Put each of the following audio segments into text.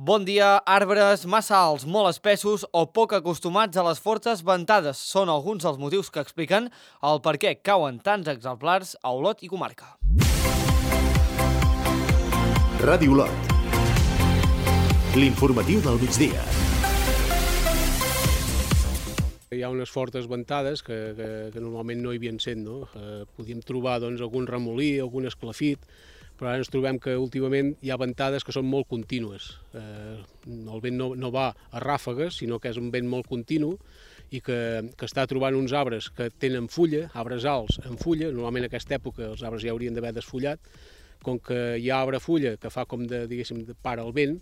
Bon dia, arbres massa alts, molt espessos o poc acostumats a les fortes ventades són alguns dels motius que expliquen el per què cauen tants exemplars a Olot i comarca. Ràdio Olot. L'informatiu del migdia. Hi ha unes fortes ventades que normalment no hi havien sent, no? Podíem trobar algun remolí, algun esclafit, però ara ens trobem que últimament hi ha ventades que són molt contínues. El vent no va a ràfegues, sinó que és un vent molt continu i que està trobant uns arbres que tenen fulla, arbres alts amb fulla. Normalment en aquesta època els arbres ja haurien d'haver desfullat. Com que hi ha arbre fulla que fa com de para el vent,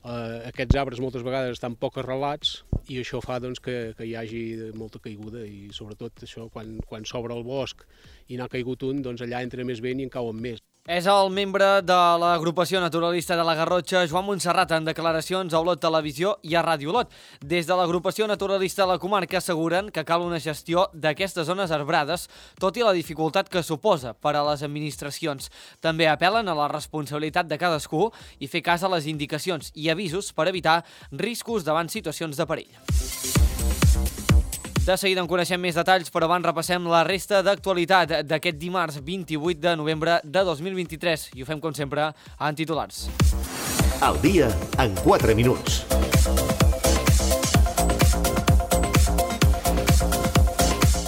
aquests arbres moltes vegades estan poc arrelats i això fa que hi hagi molta caiguda i sobretot això quan s'obre el bosc i n'ha caigut un, allà entra més vent i en cauen més. És el membre de l'agrupació naturalista de la Garrotxa, Joan Montserrat, en declaracions a Olot Televisió i a Ràdio Olot. Des de l'agrupació naturalista de la comarca asseguren que cal una gestió d'aquestes zones arbrades, tot i la dificultat que suposa per a les administracions. També apel·len a la responsabilitat de cadascú i fer cas a les indicacions i avisos per evitar riscos davant situacions de perill. De seguida en coneixem més detalls, però abans repassem la resta d'actualitat d'aquest dimarts 28 de novembre de 2023. I ho fem, com sempre, en titulars. Al dia, en 4 minuts.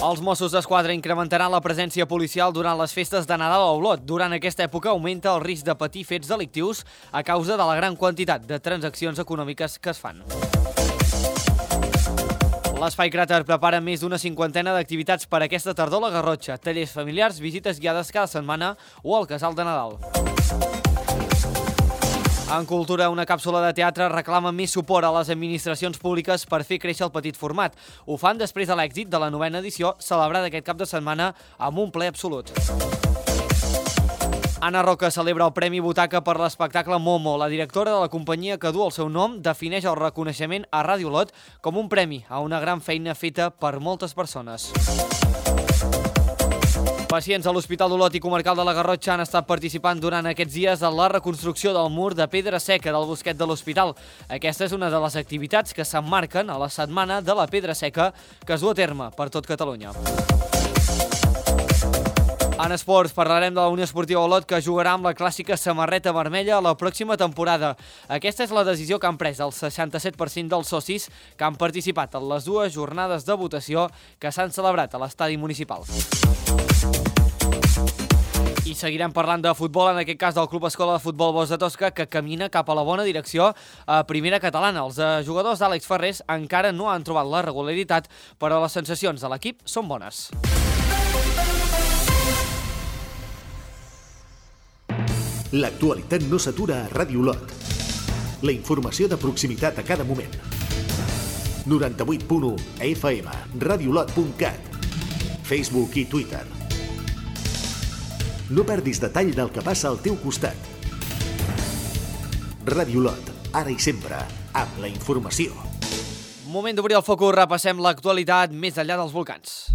Els Mossos d'Esquadra incrementaran la presència policial durant les festes de Nadal a Olot. Durant aquesta època augmenta el risc de patir fets delictius a causa de la gran quantitat de transaccions econòmiques que es fan. L'Espai Cràter prepara més d'una cinquantena d'activitats per aquesta tardor a la Garrotxa, tallers familiars, visites guiades cada setmana o al Casal de Nadal. En cultura, una càpsula de teatre reclama més suport a les administracions públiques per fer créixer el petit format. Ho fan després de l'èxit de la 9ª edició, celebrada aquest cap de setmana amb un ple absolut. Anna Roca celebra el Premi Butaca per l'espectacle Momo. La directora de la companyia que du el seu nom defineix el reconeixement a Ràdio Olot com un premi a una gran feina feta per moltes persones. Pacients a l'Hospital d'Olot i Comarcal de la Garrotxa han estat participant durant aquests dies en la reconstrucció del mur de pedra seca del bosquet de l'hospital. Aquesta és una de les activitats que s'emmarquen a la Setmana de la Pedra Seca que es du a terme per tot Catalunya. En esports, parlarem de la Unió Esportiva Olot que jugarà amb la clàssica samarreta vermella la pròxima temporada. Aquesta és la decisió que han pres el 67% dels socis que han participat en les dues jornades de votació que s'han celebrat a l'estadi municipal. I seguirem parlant de futbol, en aquest cas del Club Escola de Futbol Bosch de Tosca, que camina cap a la bona direcció a primera catalana. Els jugadors d'Àlex Ferrés encara no han trobat la regularitat, però les sensacions de l'equip són bones. L'actualitat no s'atura a Ràdio Olot. La informació de proximitat a cada moment. 98.1 FM, radioolot.cat, Facebook i Twitter. No perdis detall del que passa al teu costat. Ràdio Olot, ara i sempre, amb la informació. Moment d'obrir el focus, repassem l'actualitat més enllà dels volcans.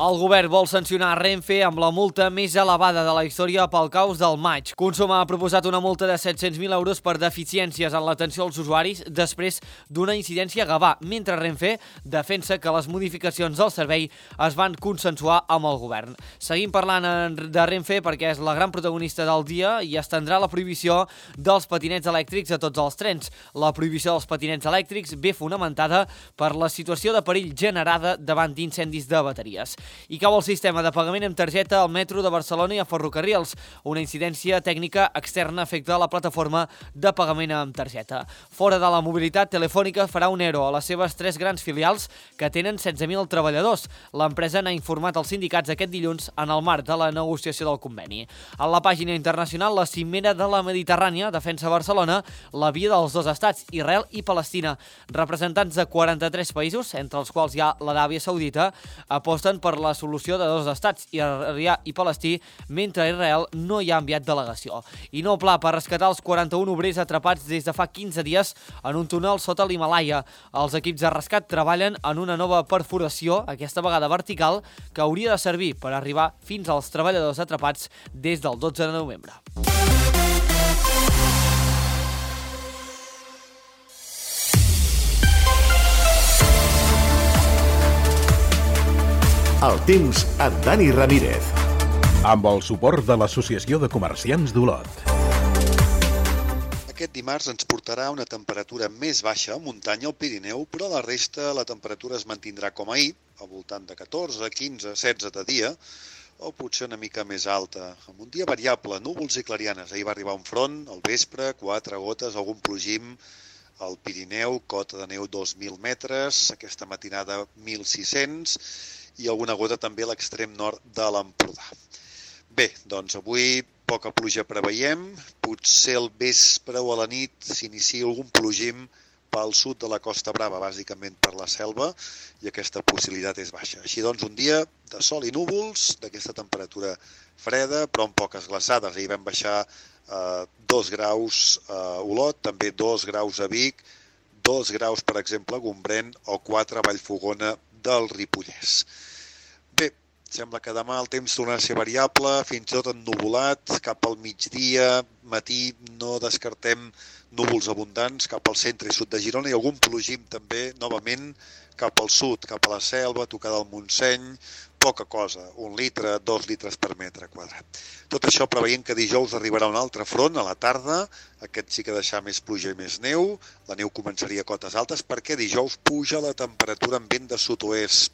El govern vol sancionar Renfe amb la multa més elevada de la història pel caos del maig. Consum ha proposat una multa de 700.000 euros per deficiències en l'atenció als usuaris després d'una incidència a Gavà, mentre Renfe defensa que les modificacions del servei es van consensuar amb el govern. Seguim parlant de Renfe perquè és la gran protagonista del dia i estendrà la prohibició dels patinets elèctrics a tots els trens. La prohibició dels patinets elèctrics ve fonamentada per la situació de perill generada davant d'incendis de bateries. I cau el sistema de pagament amb targeta al metro de Barcelona i a Ferrocarrils. Una incidència tècnica externa afecta la plataforma de pagament amb targeta. Fora de la mobilitat, Telefònica farà un ERO a les seves 3 grans filials que tenen 16.000 treballadors. L'empresa n'ha informat als sindicats aquest dilluns en el marc de la negociació del conveni. A la pàgina internacional, la cimera de la Mediterrània defensa Barcelona la via dels dos estats, Israel i Palestina. Representants de 43 països, entre els quals hi ha l'Aràbia Saudita, aposten per la solució de dos estats, israelià i palestí, mentre Israel no hi ha enviat delegació. I nou pla per rescatar els 41 obrers atrapats des de fa 15 dies en un túnel sota l'Himalaia. Els equips de rescat treballen en una nova perforació, aquesta vegada vertical, que hauria de servir per arribar fins als treballadors atrapats des del 12 de novembre. El temps amb Dani Ramírez. Amb el suport de l'Associació de Comerciants d'Olot. Aquest dimarts ens portarà una temperatura més baixa a muntanya al Pirineu, però a la resta la temperatura es mantindrà com ahir, al voltant de 14, 15, 16 de dia, o potser una mica més alta. Amb un dia variable, núvols i clarianes. Ahir va arribar un front, al vespre, 4 gotes, algun plogim al Pirineu, cota de neu 2.000 metres, aquesta matinada 1.600, i alguna gota també a l'extrem nord de l'Empordà. Bé, doncs avui poca pluja preveiem, potser al vespre o a la nit s'inicia algun plogim pel sud de la Costa Brava, bàsicament per la selva, i aquesta possibilitat és baixa. Així doncs, un dia de sol i núvols, d'aquesta temperatura freda, però amb poques glaçades. Ahir vam baixar 2 graus a Olot, també 2 graus a Vic, 2 graus, per exemple, a Gombrèn, o 4 a Vallfogona del Ripollès. Bé, sembla que demà el temps tornarà a ser variable, fins i tot ennuvolat, cap al migdia, matí no descartem núvols abundants cap al centre i sud de Girona i algun plogim també, novament, cap al sud, cap a la selva, tocada al Montseny, poca cosa, 1 litre, 2 litres per metre quadrat. Tot això preveient que dijous arribarà un altre front a la tarda, aquest sí que deixarà més pluja i més neu, la neu començaria a cotes altes perquè dijous puja la temperatura en vent de sud-oest,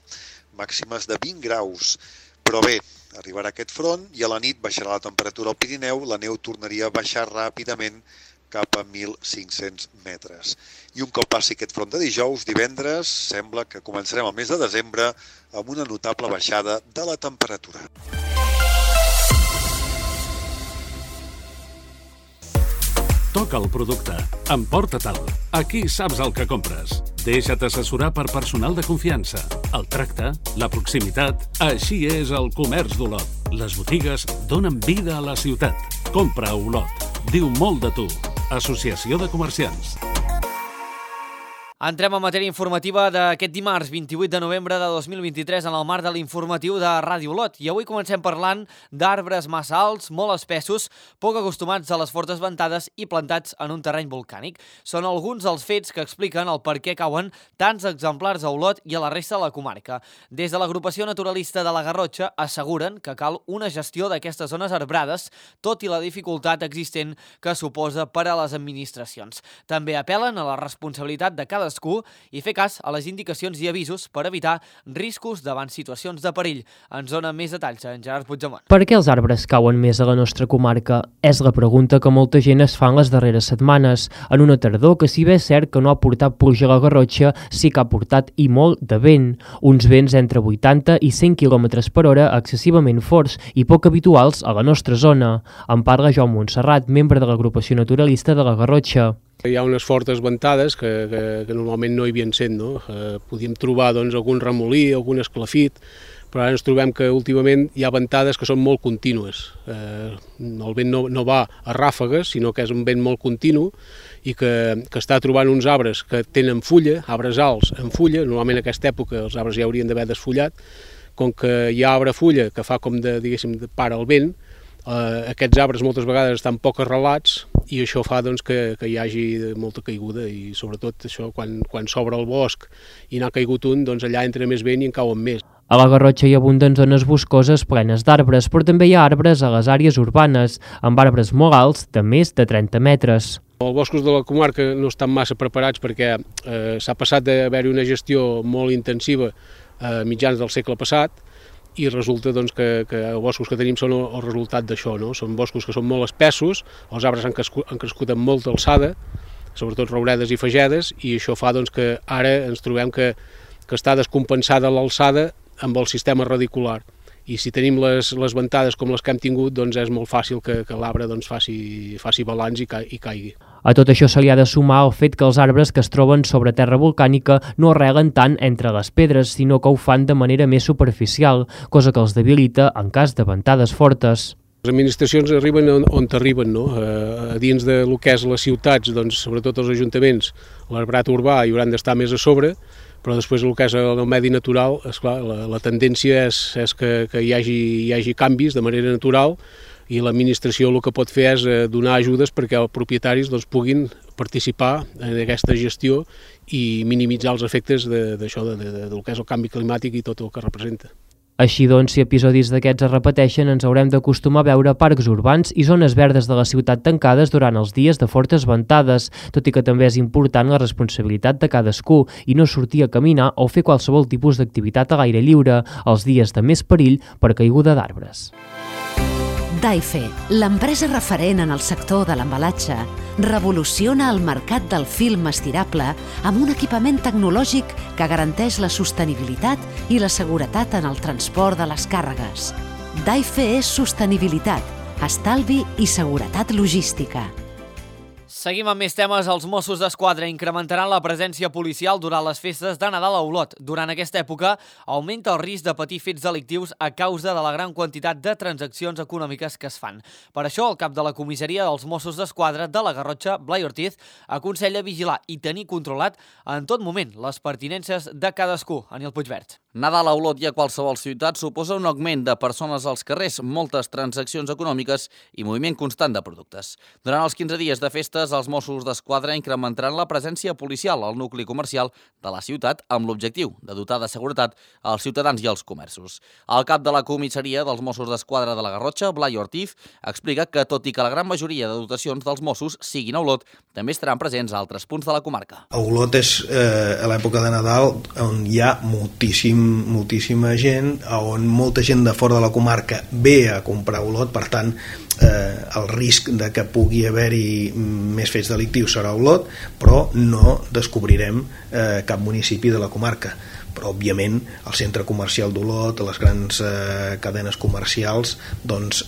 màximes de 20 graus. Però bé, arribarà aquest front i a la nit baixarà la temperatura al Pirineu, la neu tornaria a baixar ràpidament cap a 1.500 metres. I un cop passi aquest front de dijous, divendres, sembla que començarem el mes de desembre amb una notable baixada de la temperatura. Toca el producte. Emporta-te'l. Aquí saps el que compres. Deixa't assessorar per personal de confiança. El tracte, la proximitat... Així és el comerç d'Olot. Les botigues donen vida a la ciutat. Compra a Olot. Diu molt de tu. Associació de Comerciants. Entrem en matèria informativa d'aquest dimarts 28 de novembre de 2023 en el marc de l'informatiu de Ràdio Olot. I avui comencem parlant d'arbres massa alts, molt espessos, poc acostumats a les fortes ventades i plantats en un terreny volcànic. Són alguns dels fets que expliquen el per què cauen tants exemplars a Olot i a la resta de la comarca. Des de l'agrupació naturalista de la Garrotxa asseguren que cal una gestió d'aquestes zones arbrades, tot i la dificultat existent que suposa per a les administracions. També apel·len a la responsabilitat de cadascú i fer cas a les indicacions i avisos per evitar riscos davant situacions de perill. Ens dona més detalls en Gerard Puigdemont. Per què els arbres cauen més a la nostra comarca? És la pregunta que molta gent es fa en les darreres setmanes, en una tardor que si bé és cert que no ha portat pluja a la Garrotxa, sí que ha portat i molt de vent. Uns vents entre 80 i 100 km per hora excessivament forts i poc habituals a la nostra zona. En parla Joan Montserrat, membre de l'agrupació naturalista de la Garrotxa. Hi ha unes fortes ventades que normalment no hi havien sent, no? Podíem trobar algun remolí, algun esclafit, però ara ens trobem que últimament hi ha ventades que són molt contínues. El vent no va a ràfegues, sinó que és un vent molt continu i que està trobant uns arbres que tenen fulla, arbres alts amb fulla. Normalment en aquesta època els arbres ja haurien d'haver desfullat. Com que hi ha arbre fulla que fa com de para el vent, aquests arbres moltes vegades estan poc arrelats i això fa que hi hagi molta caiguda i sobretot això quan s'obre el bosc i n'ha caigut un, allà entra més vent i en cauen més. A la Garrotxa hi abunden zones boscoses plenes d'arbres, però també hi ha arbres a les àrees urbanes, amb arbres molt alts de més de 30 metres. Els boscos de la comarca no estan massa preparats perquè s'ha passat d'haver-hi una gestió molt intensiva a mitjans del segle passat i resulta que els boscos que tenim són el resultat d'això, no? Són boscos que són molt espessos, els arbres han crescut amb molta alçada, sobretot rouredes i fagedes, i això fa que ara ens trobem que està descompensada l'alçada amb el sistema radicular. i si tenim les ventades com les que hem tingut, doncs és molt fàcil que l'arbre doncs, faci balanç i caigui. A tot això se li ha de sumar el fet que els arbres que es troben sobre terra volcànica no arrelen tant entre les pedres, sinó que ho fan de manera més superficial, cosa que els debilita en cas de ventades fortes. Les administracions arriben on arriben, no? A dins del que és les ciutats, doncs, sobretot els ajuntaments, l'arbrat urbà hi hauran d'estar més a sobre, però després el que és el medi natural, esclar, la tendència és que hi hagi canvis de manera natural, i l'administració el que pot fer és donar ajudes perquè els propietaris doncs, puguin participar en aquesta gestió i minimitzar els efectes d'això, del que és el canvi climàtic i tot el que representa. Així doncs, si episodis d'aquests es repeteixen, ens haurem d'acostumar a veure parcs urbans i zones verdes de la ciutat tancades durant els dies de fortes ventades, tot i que també és important la responsabilitat de cadascú i no sortir a caminar o fer qualsevol tipus d'activitat a l'aire lliure els dies de més perill per caiguda d'arbres. Daife, l'empresa referent en el sector de l'embalatge, revoluciona el mercat del film estirable amb un equipament tecnològic que garanteix la sostenibilitat i la seguretat en el transport de les càrregues. Daife és sostenibilitat, estalvi i seguretat logística. Seguim amb més temes. Els Mossos d'Esquadra incrementaran la presència policial durant les festes de Nadal a Olot. Durant aquesta època augmenta el risc de patir fets delictius a causa de la gran quantitat de transaccions econòmiques que es fan. Per això, el cap de la comissaria dels Mossos d'Esquadra de la Garrotxa, Blai Ortiz, aconsella vigilar i tenir controlat en tot moment les pertinences de cadascú. Anil Puigvert. Nadal a Olot i a qualsevol ciutat suposa un augment de persones als carrers, moltes transaccions econòmiques i moviment constant de productes. Durant els 15 dies de festes, els Mossos d'Esquadra incrementaran la presència policial al nucli comercial de la ciutat amb l'objectiu de dotar de seguretat als ciutadans i als comerços. El cap de la comissaria dels Mossos d'Esquadra de la Garrotxa, Blai Ortiz, explica que, tot i que la gran majoria de dotacions dels Mossos siguin a Olot, també estaran presents a altres punts de la comarca. A Olot és a l'època de Nadal on hi ha moltíssima gent, on molta gent de fora de la comarca ve a comprar Olot, per tant el risc de que pugui haver-hi més fets delictius serà a Olot, però no descobrirem cap municipi de la comarca. Però òbviament el centre comercial d'Olot, les grans cadenes comercials doncs,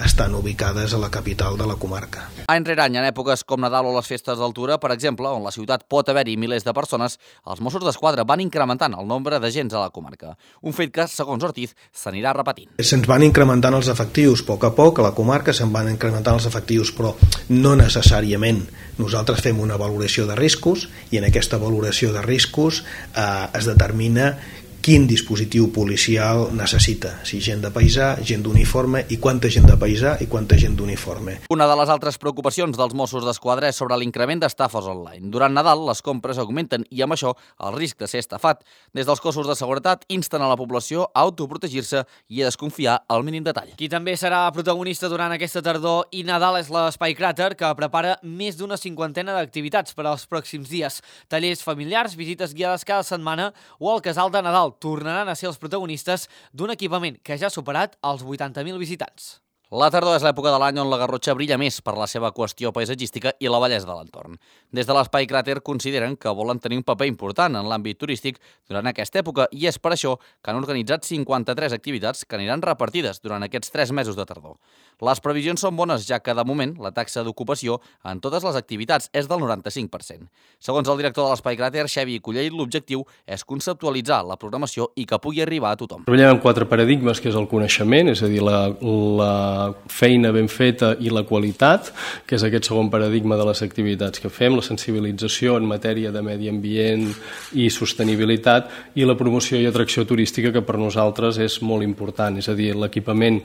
estan ubicades a la capital de la comarca. Any rere any, en èpoques com Nadal o les festes d'altura, per exemple, on la ciutat pot haver-hi milers de persones, els Mossos d'Esquadra van incrementant el nombre d'agents a la comarca. Un fet que, segons Ortiz, s'anirà repetint. Se'ns van incrementant els efectius a poc a la comarca, se'n van incrementant els efectius, però no necessàriament. Nosaltres fem una valoració de riscos i en aquesta valoració de riscos es determina quin dispositiu policial necessita, si gent de paisà, gent d'uniforme, i quanta gent de paisà i quanta gent d'uniforme. Una de les altres preocupacions dels Mossos d'Esquadra és sobre l'increment d'estafes online. Durant Nadal, les compres augmenten i amb això el risc de ser estafat. Des dels cossos de seguretat insten a la població a autoprotegir-se i a desconfiar al mínim detall. Qui també serà protagonista durant aquesta tardor i Nadal és l'Espai Cràter, que prepara més d'una cinquantena d'activitats per als pròxims dies. Tallers familiars, visites guiades cada setmana o el casal de Nadal tornaran a ser els protagonistes d'un equipament que ja ha superat els 80.000 visitants. La tardor és l'època de l'any on la Garrotxa brilla més per la seva qüestió paisatgística i la bellesa de l'entorn. Des de l'Espai Cràter consideren que volen tenir un paper important en l'àmbit turístic durant aquesta època i és per això que han organitzat 53 activitats que aniran repartides durant aquests 3 mesos de tardor. Les previsions són bones, ja que de moment la taxa d'ocupació en totes les activitats és del 95%. Segons el director de l'Espai Cràter, Xavi Cullell, l'objectiu és conceptualitzar la programació i que pugui arribar a tothom. Treballem en 4 paradigmes, que és el coneixement, és a dir, la feina ben feta i la qualitat, que és aquest segon paradigma de les activitats que fem, la sensibilització en matèria de medi ambient i sostenibilitat, i la promoció i atracció turística, que per nosaltres és molt important, és a dir, l'equipament.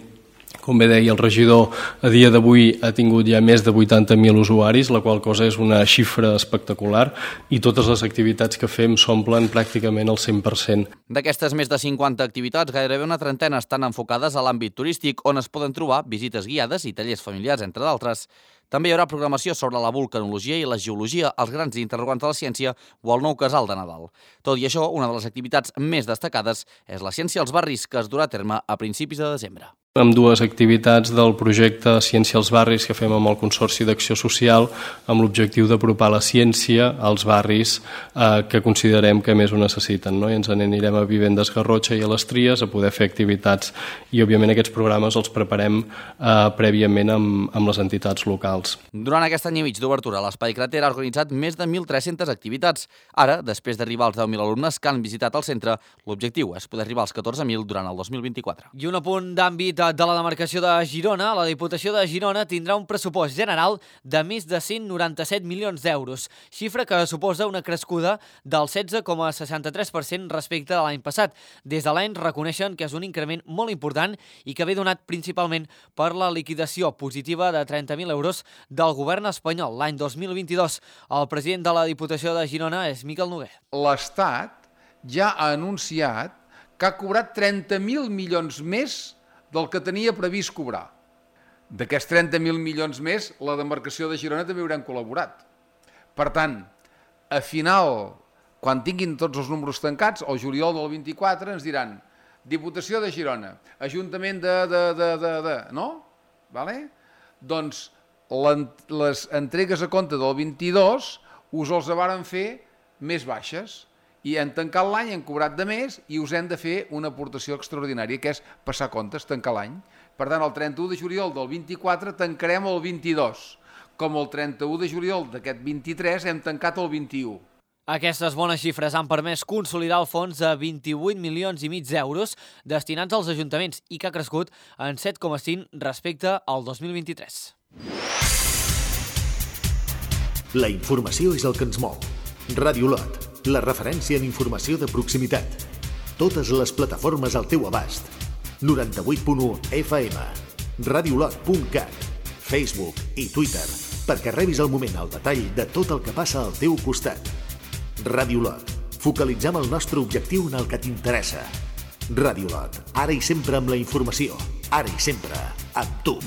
Com bé deia el regidor, a dia d'avui ha tingut ja més de 80.000 usuaris, la qual cosa és una xifra espectacular, i totes les activitats que fem s'omplen pràcticament al 100%. D'aquestes més de 50 activitats, gairebé una trentena estan enfocades a l'àmbit turístic, on es poden trobar visites guiades i tallers familiars, entre d'altres. També hi haurà programació sobre la vulcanologia i la geologia, els grans interrogants de la ciència o el nou casal de Nadal. Tot i això, una de les activitats més destacades és la ciència als barris, que es durà a terme a principis de desembre. amb dues activitats del projecte Ciència als barris que fem amb el Consorci d'Acció Social amb l'objectiu d'apropar la ciència als barris que considerem que més ho necessiten, no? I ens n'anirem a Vivendes Garrotxa i a les Tries a poder fer activitats i òbviament aquests programes els preparem prèviament amb les entitats locals. Durant aquest any i mig d'obertura, l'Espai Crater ha organitzat més de 1.300 activitats. Ara, després d'arribar als 10.000 alumnes que han visitat el centre, l'objectiu és poder arribar als 14.000 durant el 2024. I un apunt d'àmbit de la demarcació de Girona, la Diputació de Girona tindrà un pressupost general de més de 197 milions d'euros, xifra que suposa una crescuda del 16,63% respecte de l'any passat. Des de l'any reconeixen que és un increment molt important i que ve donat principalment per la liquidació positiva de 30.000 euros del govern espanyol l'any 2022. El president de la Diputació de Girona és Miquel Noguer. L'Estat ja ha anunciat que ha cobrat 30.000 milions més del que tenia previst cobrar. D'aquests 30.000 milions més, la demarcació de Girona també haurem col·laborat. Per tant, a final, quan tinguin tots els números tancats, al juliol del 24 ens diran Diputació de Girona, Ajuntament no? Vale? Doncs les entregues a compte del 22 us els varen fer més baixes. I hem tancat l'any, hem cobrat de més i us hem de fer una aportació extraordinària, que és passar comptes, tancar l'any. Per tant, el 31 de juliol del 24 tancarem el 22, com el 31 de juliol d'aquest 23 hem tancat el 21. Aquestes bones xifres han permès consolidar el fons de 28 milions i mig d'euros destinats als ajuntaments i que ha crescut en 7,5 respecte al 2023. La informació és el que ens mou. Ràdio Lot, la referència en informació de proximitat. Totes les plataformes al teu abast. 98.1 FM, radiolot.cat, Facebook i Twitter, perquè rebis al moment el detall de tot el que passa al teu costat. Ràdio Lot, focalitzem el nostre objectiu en el que t'interessa. Ràdio Lot, ara i sempre amb la informació, ara i sempre amb tu.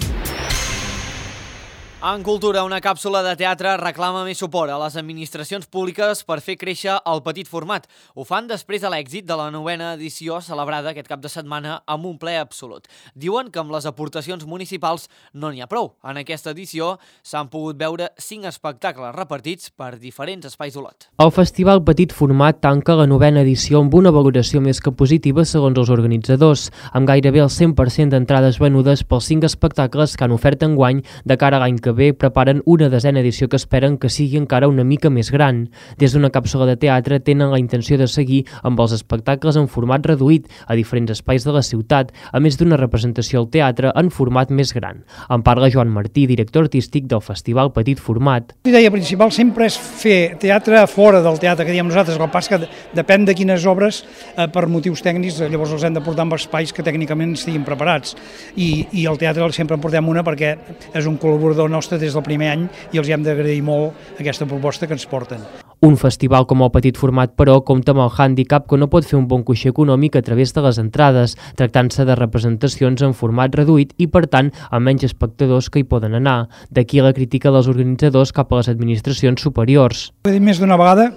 En cultura, una càpsula de teatre reclama més suport a les administracions públiques per fer créixer el petit format. Ho fan després de l'èxit de la 9ª edició celebrada aquest cap de setmana amb un ple absolut. Diuen que amb les aportacions municipals no n'hi ha prou. En aquesta edició s'han pogut veure 5 espectacles repartits per diferents espais d'Olot. El Festival Petit Format tanca la 9ª edició amb una valoració més que positiva segons els organitzadors, amb gairebé el 100% d'entrades venudes pels 5 espectacles que han ofert enguany. De cara a l'any que ve preparen una 10a edició que esperen que sigui encara una mica més gran. Des d'una càpsula de teatre tenen la intenció de seguir amb els espectacles en format reduït a diferents espais de la ciutat, a més d'una representació al teatre en format més gran. En parla Joan Martí, director artístic del Festival Petit Format. La idea principal sempre és fer teatre fora del teatre, que diem nosaltres, el pas que depèn de quines obres per motius tècnics, llavors els hem de portar en espais que tècnicament estiguin preparats. I el teatre sempre en portem una perquè és un col·laborador nostre des del primer any i els hem d'agrair molt aquesta proposta que ens porten. Un festival com el Petit Format, però, compta amb el hàndicap que no pot fer un bon coixí econòmic a través de les entrades, tractant-se de representacions en format reduït i, per tant, amb menys espectadors que hi poden anar. D'aquí la crítica dels organitzadors cap a les administracions superiors. Ho he dit més d'una vegada,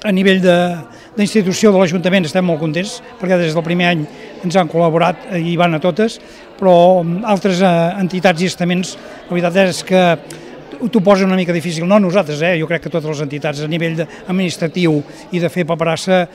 a nivell d'institució de l'Ajuntament estem molt contents, perquè des del primer any ens han col·laborat i van a totes, però altres entitats i estaments, la veritat és que t'ho posa una mica difícil, no nosaltres, jo crec que totes les entitats a nivell administratiu i de fer paperassa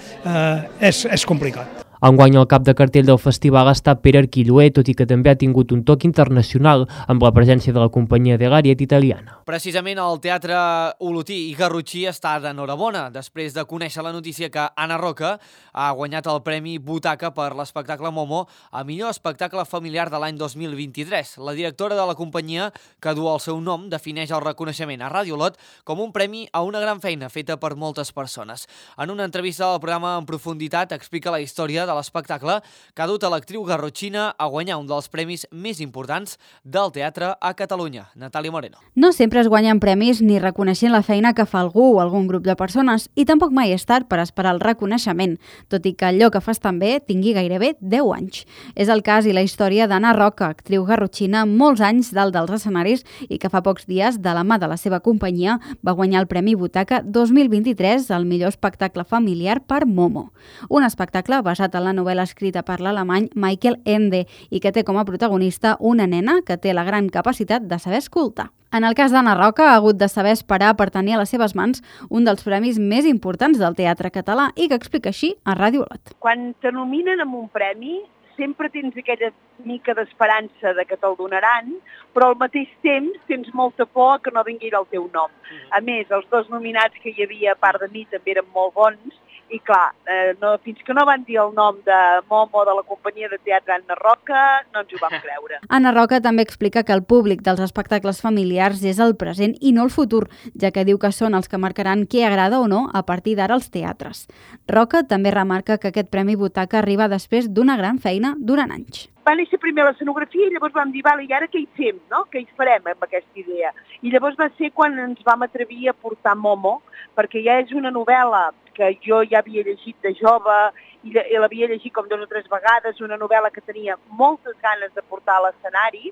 és complicat. Enguany el cap de cartell del festival ha estat Pere Arquilloé, tot i que també ha tingut un toc internacional amb la presència de la companyia de l'Ariet italiana. Precisament el Teatre Olotí i Garrotxí està d'enhorabona després de conèixer la notícia que Anna Roca ha guanyat el Premi Butaca per l'espectacle Momo a millor espectacle familiar de l'any 2023. La directora de la companyia, que du el seu nom, defineix el reconeixement a Ràdio Olot com un premi a una gran feina feta per moltes persones. En una entrevista al programa En Profunditat explica la història de l'espectacle que ha dut a l'actriu garrotxina a guanyar un dels premis més importants del teatre a Catalunya. Natàlia Moreno. No sempre es guanyen premis ni reconeixent la feina que fa algú o algun grup de persones i tampoc mai és tard per esperar el reconeixement, tot i que allò que fas també tingui gairebé 10 anys. És el cas i la història d'Anna Roca, actriu garrotxina molts anys dalt dels escenaris i que fa pocs dies, de la mà de la seva companyia, va guanyar el Premi Butaca 2023 al millor espectacle familiar per Momo. Un espectacle basat a la novel·la escrita per l'alemany Michael Ende i que té com a protagonista una nena que té la gran capacitat de saber escoltar. En el cas d'Anna Roca, ha hagut de saber esperar per tenir a les seves mans un dels premis més importants del teatre català i que explica així a Ràdio Olot. Quan te nominen amb un premi, sempre tens aquella mica d'esperança de que te'l donaran, però al mateix temps tens molta por que no vingui el teu nom. A més, els dos nominats que hi havia a part de mi també eren molt bons i clar, fins que no van dir el nom de Momo de la companyia de teatre Anna Roca, no ens ho vam creure. Anna Roca també explica que el públic dels espectacles familiars és el present i no el futur, ja que diu que són els que marcaran què agrada o no a partir d'ara als teatres. Roca també remarca que aquest Premi Butaca arriba després d'una gran feina durant anys. Va néixer primer l'escenografia i llavors vam dir, vale, i ara què hi fem, no? Què hi farem amb aquesta idea? I llavors va ser quan ens vam atrevir a portar Momo, perquè ja és una novel·la que jo ja havia llegit de jove i l'havia llegit com 2 o 3 vegades, una novel·la que tenia moltes ganes de portar a l'escenari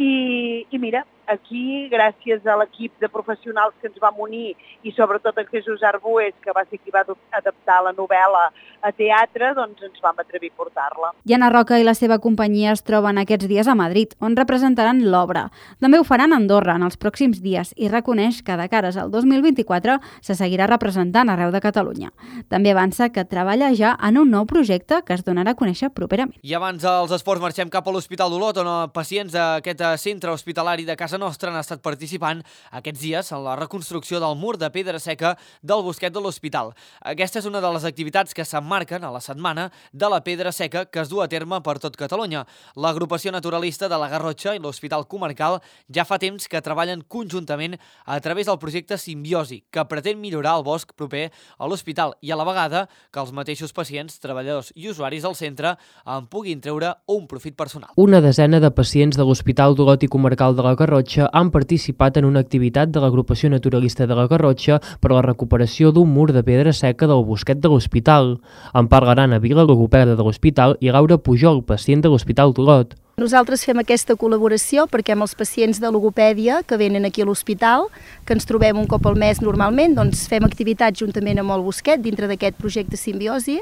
i mira, aquí, gràcies a l'equip de professionals que ens vam unir i sobretot en Jesús Arbues, que va ser qui va adaptar la novel·la a teatre, doncs ens vam atrevir a portar-la. I Anna Roca i la seva companyia es troben aquests dies a Madrid, on representaran l'obra. També ho faran a Andorra en els pròxims dies i reconeix que de cares al 2024 se seguirà representant arreu de Catalunya. També avança que treballa ja en un nou projecte que es donarà a conèixer properament. I abans dels esports marxem cap a l'Hospital d'Olot, on pacients d'aquest centre hospitalari de Casa Nostra han estat participant aquests dies en la reconstrucció del mur de pedra seca del bosquet de l'hospital. Aquesta és una de les activitats que s'emmarquen a la setmana de la pedra seca que es du a terme per tot Catalunya. L'agrupació naturalista de la Garrotxa i l'Hospital Comarcal ja fa temps que treballen conjuntament a través del projecte Simbiosi, que pretén millorar el bosc proper a l'hospital i a la vegada que els mateixos pacients, treballadors i usuaris del centre en puguin treure un profit personal. Una desena de pacients de l'Hospital d'Olot i Comarcal de la Garrotxa han participat en una activitat de l'Agrupació Naturalista de la Garrotxa per a la recuperació d'un mur de pedra seca del bosquet de l'hospital. En parlaran a Vila, logopeda de l'hospital, i Laura Pujol, pacient de l'Hospital d'Olot. Nosaltres fem aquesta col·laboració perquè amb els pacients de logopèdia que venen aquí a l'hospital, que ens trobem un cop al mes normalment, doncs fem activitats juntament amb el bosquet dintre d'aquest projecte Simbiosi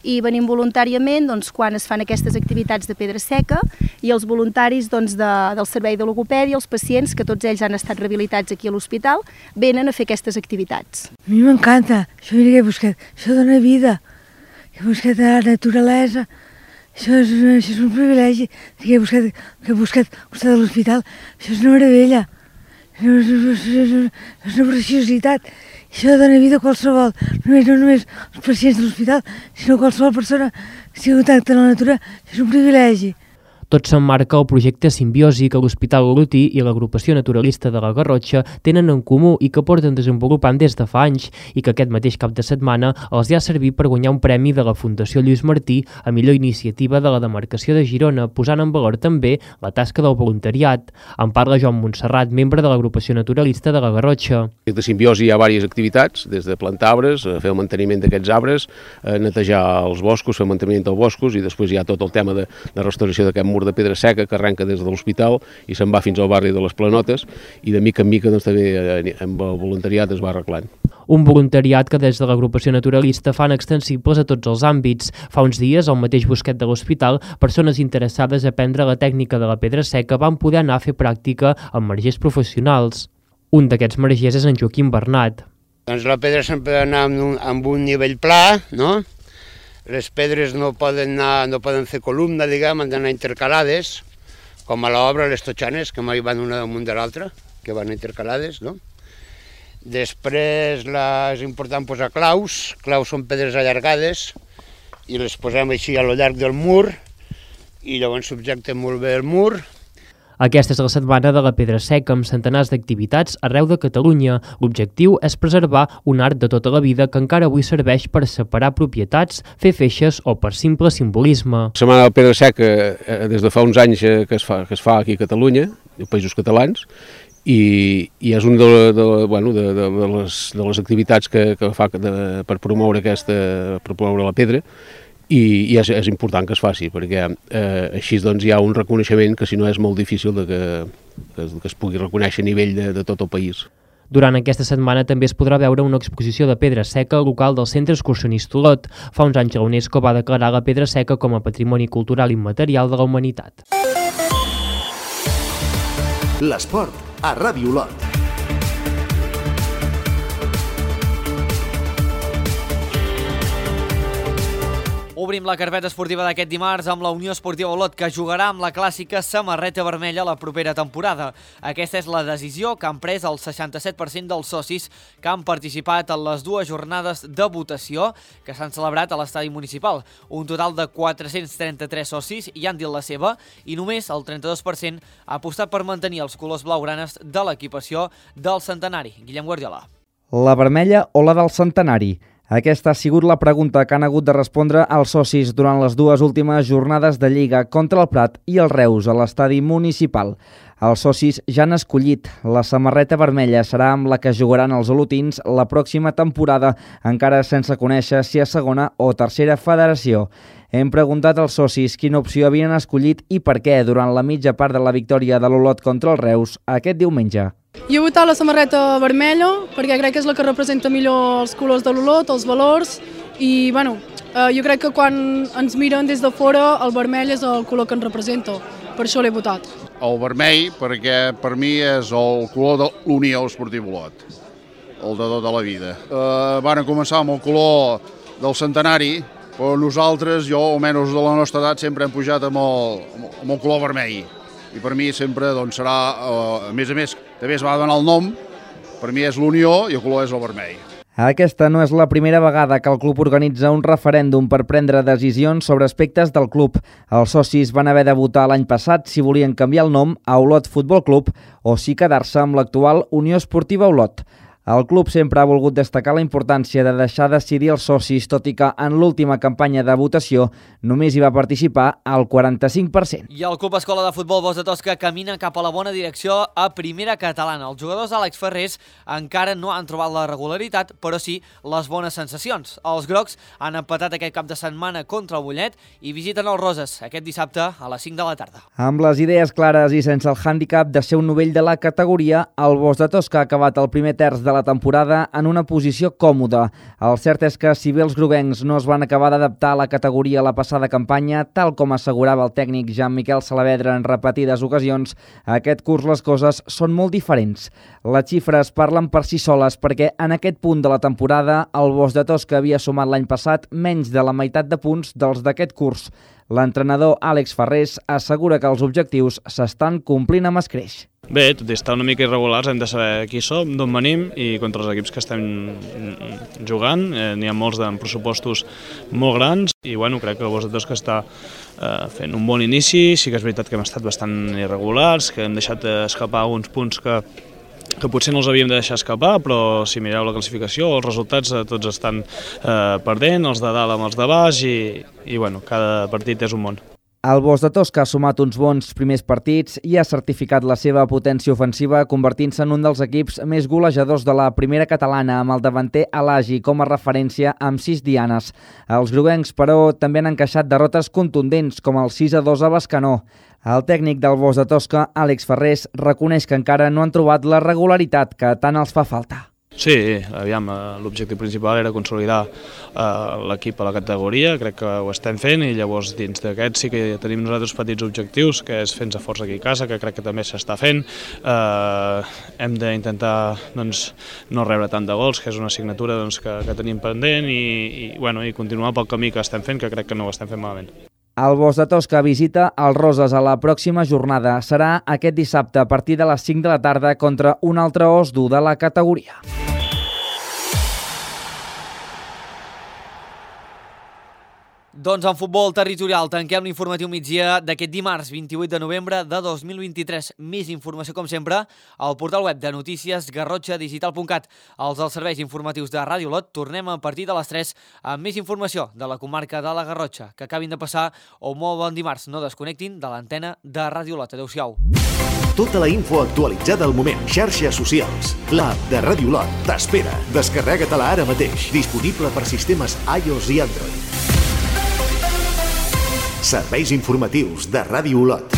i venim voluntàriament quan es fan aquestes activitats de pedra seca i els voluntaris del servei de logopèdia, els pacients, que tots ells han estat rehabilitats aquí a l'hospital, venen a fer aquestes activitats. A mi m'encanta, això mira que he buscat, això dona vida, he buscat la naturalesa. Això és un privilegi que he buscat al costat de l'hospital. Això és una meravella, és una preciositat. Això dona vida a qualsevol, no només els pacients de l'hospital, sinó qualsevol persona que sigui contacte amb la natura. És un privilegi. Tot s'emmarca el projecte Simbiosi que l'Hospital Olotí i l'Agrupació Naturalista de la Garrotxa tenen en comú i que porten desenvolupant des de fa anys i que aquest mateix cap de setmana els ha servit per guanyar un premi de la Fundació Lluís Martí a millor iniciativa de la demarcació de Girona, posant en valor també la tasca del voluntariat. En parla Joan Montserrat, membre de l'Agrupació Naturalista de la Garrotxa. De Simbiosi hi ha diverses activitats, des de plantar arbres, fer el manteniment d'aquests arbres, netejar els boscos, fer el manteniment dels boscos i després hi ha tot el tema de restauració d'aquest mur de pedra seca que arrenca des de l'hospital i se'n va fins al barri de les Planotes i de mica en mica també amb el voluntariat es va arreglant. Un voluntariat que des de l'Agrupació Naturalista fan extensibles a tots els àmbits. Fa uns dies, al mateix bosquet de l'hospital, persones interessades a aprendre la tècnica de la pedra seca van poder anar a fer pràctica amb margers professionals. Un d'aquests margers és en Joaquim Bernat. Doncs la pedra sempre ha d'anar amb un nivell pla, no? Les pedres no poden fer columna, diguem, han d'anar intercalades, com a l'obra les totxanes, que mai van una damunt de l'altra, que van intercalades, no? Després és important posar claus són pedres allargades, i les posem així a lo llarg del mur, i llavors subjectem molt bé el mur. Aquesta és la setmana de la pedra seca amb centenars d'activitats arreu de Catalunya. L'objectiu és preservar un art de tota la vida que encara avui serveix per separar propietats, fer feixes o per simple simbolisme. La setmana de la pedra seca des de fa uns anys que es fa aquí a Catalunya, als Països Catalans, i és una de les activitats que fa per promoure la pedra. I és important que es faci, perquè així doncs hi ha un reconeixement que si no és molt difícil que es pugui reconèixer a nivell de tot el país. Durant aquesta setmana també es podrà veure una exposició de pedra seca local del Centre Excursionista Olot. Fa uns anys la UNESCO va declarar la pedra seca com a patrimoni cultural immaterial de la humanitat. L'esport a Ràdio Olot. Obrim la carpeta esportiva d'aquest dimarts amb la Unió Esportiva Olot, que jugarà amb la clàssica samarreta vermella la propera temporada. Aquesta és la decisió que han pres el 67% dels socis que han participat en les dues jornades de votació que s'han celebrat a l'estadi municipal. Un total de 433 socis hi han dit la seva i només el 32% ha apostat per mantenir els colors blaugranes de l'equipació del centenari. Guillem Guardiola. La vermella o la del centenari? Aquesta ha sigut la pregunta que han hagut de respondre els socis durant les dues últimes jornades de Lliga contra el Prat i el Reus a l'estadi municipal. Els socis ja han escollit. La samarreta vermella serà amb la que jugaran els olotins la pròxima temporada, encara sense conèixer si a segona o tercera federació. Hem preguntat als socis quina opció havien escollit i per què durant la mitja part de la victòria de l'Olot contra el Reus aquest diumenge. Jo he votat la samarreta vermella perquè crec que és la que representa millor els colors de l'Olot, els valors i jo crec que quan ens miren des de fora el vermell és el color que ens representa, per això l'he votat. El vermell perquè per mi és el color de l'Unió Esportiva Olot, el de tota la vida. Van començar amb el color del centenari, però nosaltres, jo almenys de la nostra edat, sempre hem pujat amb el color vermell. I per mi sempre serà, a més, també es va donar el nom, per mi és l'Unió i el color és el vermell. Aquesta no és la primera vegada que el club organitza un referèndum per prendre decisions sobre aspectes del club. Els socis van haver de votar l'any passat si volien canviar el nom a Olot Futbol Club o si quedar-se amb l'actual Unió Esportiva Olot. El club sempre ha volgut destacar la importància de deixar decidir els socis, tot i que en l'última campanya de votació només hi va participar el 45%. I el Club Escola de Futbol Bosc de Tosca camina cap a la bona direcció a primera catalana. Els jugadors Àlex Ferrés encara no han trobat la regularitat, però sí les bones sensacions. Els grocs han empatat aquest cap de setmana contra el Mollet i visiten els Roses aquest dissabte a les 5 de la tarda. Amb les idees clares i sense el hàndicap de ser un novell de la categoria, el Bosc de Tosca ha acabat el primer terç de la temporada en una posició còmoda. El cert és que si bé els groguencs no es van acabar d'adaptar a la categoria a la passada campanya, tal com assegurava el tècnic Jean-Miquel Saavedra en repetides ocasions, aquest curs les coses són molt diferents. Les xifres parlen per si soles perquè en aquest punt de la temporada el Bosc de Tosca havia sumat l'any passat menys de la meitat de punts dels d'aquest curs. L'entrenador Àlex Ferrés assegura que els objectius s'estan complint amb escreix. Bé, tot i estar una mica irregulars, hem de saber qui som, d'on venim i contra els equips que estem jugant. N'hi ha molts amb pressupostos molt grans i crec que el Bosc de Tosca està fent un bon inici. Sí que és veritat que hem estat bastant irregulars, que hem deixat escapar alguns punts que potser no els havíem de deixar escapar, però si mireu la classificació, els resultats tots estan perdent, els de dalt amb els de baix i cada partit és un món. El Bosc de Tosca ha sumat uns bons primers partits i ha certificat la seva potència ofensiva convertint-se en un dels equips més golejadors de la primera catalana amb el davanter Alagi com a referència amb 6 dianes. Els groguencs, però, també han encaixat derrotes contundents com el 6-2 a Bescanó. El tècnic del Bosc de Tosca, Àlex Ferrés, reconeix que encara no han trobat la regularitat que tant els fa falta. Sí, l'objectiu principal era consolidar l'equip a la categoria, crec que ho estem fent i llavors dins d'aquest sí que tenim nosaltres petits objectius, que és fer-nos força aquí a casa, que crec que també s'està fent. Hem d'intentar no rebre tant de gols, que és una assignatura que tenim pendent i continuar pel camí que estem fent, que crec que no ho estem fent malament. El Bosc de Tosca visita els Roses a la pròxima jornada. Serà aquest dissabte a partir de les 5 de la tarda contra un altre os dur de la categoria. Doncs en futbol territorial tanquem l'informatiu migdia d'aquest dimarts 28 de novembre de 2023. Més informació, com sempre, al portal web de notícies garrotxadigital.cat. Els dels serveis informatius de Ràdio Olot tornem a partir de les 3 amb més informació de la comarca de la Garrotxa. Que acabin de passar un molt bon dimarts. No desconnectin de l'antena de Ràdio Olot. Adéu-siau. Tota la info actualitzada al moment. Xarxes socials. L'app de Ràdio Olot t'espera. Descarrega-te-la ara mateix. Disponible per sistemes iOS i Android. Serveis informatius de Ràdio Olot.